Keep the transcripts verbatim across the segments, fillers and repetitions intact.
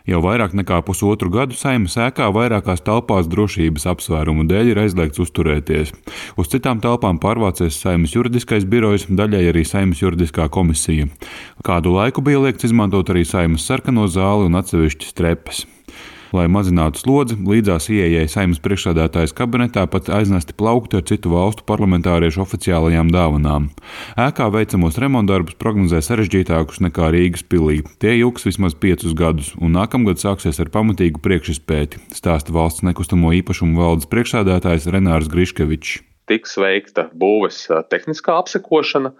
Jau vairāk nekā pusotru gadu Saeimas ēkā vairākās telpās drošības apsvērumu dēļ ir aizliegts uzturēties. Uz citām telpām pārvācies Saeimas juridiskais birojs, daļai arī Saeimas juridiskā komisija. Kādu laiku bija liegts izmantot arī Saeimas sarkano zāli un atsevišķas trepas. Lai mazinātu slodzi, līdzās ieejai Saeimas priekšsēdētājas kabinetā pat aiznesti plaukti ar citu valstu parlamentāriešu oficiālajām dāvanām. Ēkā veicamos remontdarbus prognozē sarežģītākus nekā Rīgas pilī. Tie ilgs vismaz piecus gadus, un nākamgad sāksies ar pamatīgu priekšizpēti, stāsta valsts nekustamo īpašumu valdes priekšsēdētājs Renārs Griškevičs. Tiks veikta būves tehniskā apsekošana,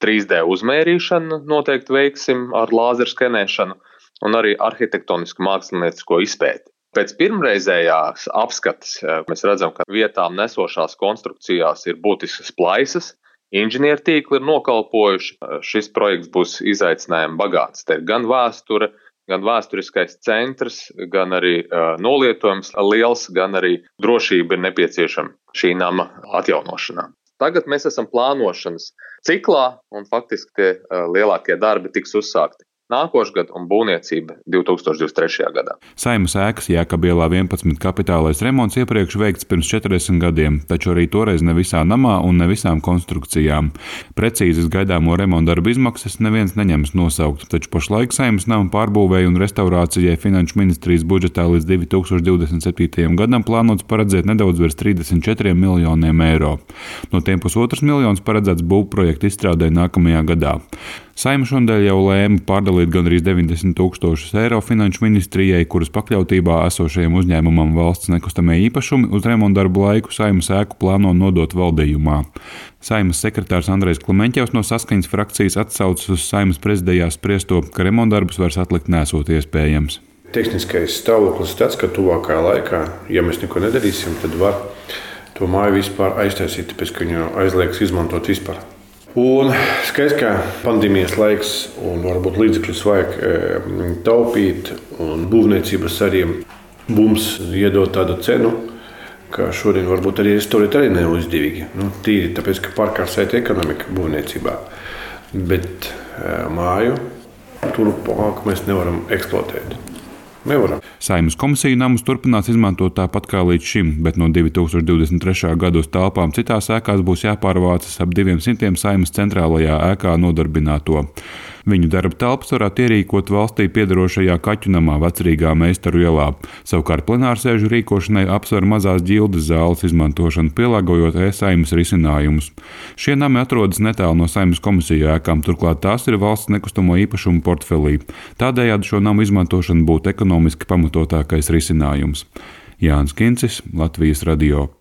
trīs D uzmērīšana noteikti veiksim ar lāzeru skenēšanu, un arī arhitektonisku māksliniecisko izpēti. Pēc pirmreizējās apskates mēs redzam, ka vietām nesošās konstrukcijās ir būtiskas plaisas, inženiertīkli ir nokalpojuši. Šis projekts būs izaicinājumi bagāts. Te ir gan vēsture, gan vēsturiskais centrs, gan arī uh, nolietojums liels, gan arī drošība ir nepieciešama šī nama atjaunošanā. Tagad mēs esam plānošanas ciklā, un faktiski tie uh, lielākie darbi tiks uzsākti nākošgad un būvniecība divi tūkstoši divdesmit trešajā gadā. Saeimas ēkas Jēkabielā vienpadsmit kapitālais remonts iepriekš veikts pirms četrdesmit gadiem, taču arī toreiz ne visā namā un ne visām konstrukcijām. Precīzas gaidāmo remontdarbu izmaksas neviens neņems nosaukt, taču pašlaik Saeimas nama pārbūvēja un restaurācijai Finanšu ministrijas budžetā līdz divi tūkstoši divdesmit septītajam gadam plānots paredzēt nedaudz virs trīsdesmit četriem miljoniem eiro. No tiem pusotrs miljons paredzēts būvprojektu izstrādē nākamajā gadā. Saeima šodien jau lēma pārdalīt gandrīz deviņdesmit tūkstošus eiro Finanšu ministrijai, kuras pakļautībā esošajam uzņēmumam valsts nekustamie īpašumi uz remontdarbu laiku Saeimas ēku plāno nodot valdījumā. Saeimas sekretārs Andrejs Klemeņķevs no Saskaņas frakcijas atsaucas uz Saeimas prezidijā spriesto, ka remontdarbus vairs atlikt nesot iespējams. Tehniskais stāvoklis tāds, ka tuvākajā laikā, ja mēs neko nedarīsim, tad var to māju vispār aiztaisīt, tāpēc ka viņu aizliegs izmantot vispār. Un skaidrs, ka pandēmijas laiks un varbūt līdzekļus vajag e, taupīt, un būvniecības arī mums iedod tādu cenu, ka šodien varbūt arī restorēt arī nav izdevīgi. Nu, tīri tāpēc, ka pārkārsēta ekonomika būvniecībā, bet e, māju turpmāk mēs nevaram eksploatēt. Nevaram. Saeimas komisija namus turpinās izmantot tāpat kā līdz šim, bet no divi tūkstoši divdesmit trešā gada uz telpām citās ēkās būs jāpārvācas ap diviem simtiem Saeimas centrālajā ēkā nodarbināto. Viņu darba telpas varētu ierīkot valstī piederošajā Kaķunamā Vecrīgā Meistaru ielā. Savukārt plenārsēžu rīkošanai apsver mazās ģildes zāles izmantošanu, pielāgojot e-Saeimas risinājumus. Šie nami atrodas netālu no Saeimas komisiju ēkām, turklāt tās ir valsts nekustamo īpašumu portfelī. Tādējādi šo namu izmantošana būtu ekonomiski pamatotākais risinājums. Jānis Kincis, Latvijas radio.